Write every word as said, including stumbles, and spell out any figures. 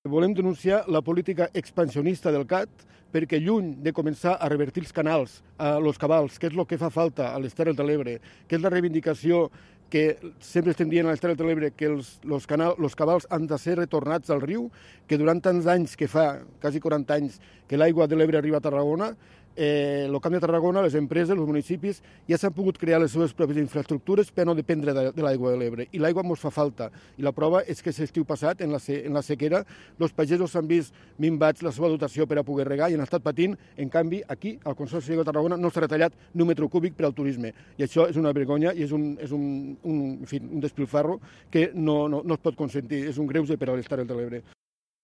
Volem denunciar la política expansionista del C A T perquè lluny de començar a revertir els canals, a los cabals, que és el que fa falta a les Terres de l'Ebre, que és la reivindicació que sempre estem dient a les Terres de l'Ebre que els, los, canal, los cabals han de ser retornats al riu, que durant tants anys que fa, quasi quaranta anys, que l'aigua de l'Ebre arriba a Tarragona, eh, el Camp de Tarragona, les empreses, els municipis, ja s'han pogut crear les seves pròpies infraestructures per no dependre de, de l'aigua de l'Ebre. I l'aigua ens fa falta. I la prova és que l'estiu passat, en la, en la sequera, els pagesos s'han vist minvats la seva dotació per a poder regar i han estat patint. En canvi, aquí, al Consorci de Tarragona, no s'ha retallat ni un metre cúbic per al turisme. I això és una vergonya i és un, és un, un, en fi, un despilfarro que no, no, no es pot consentir. És un greuge per a les Terres de l'Ebre.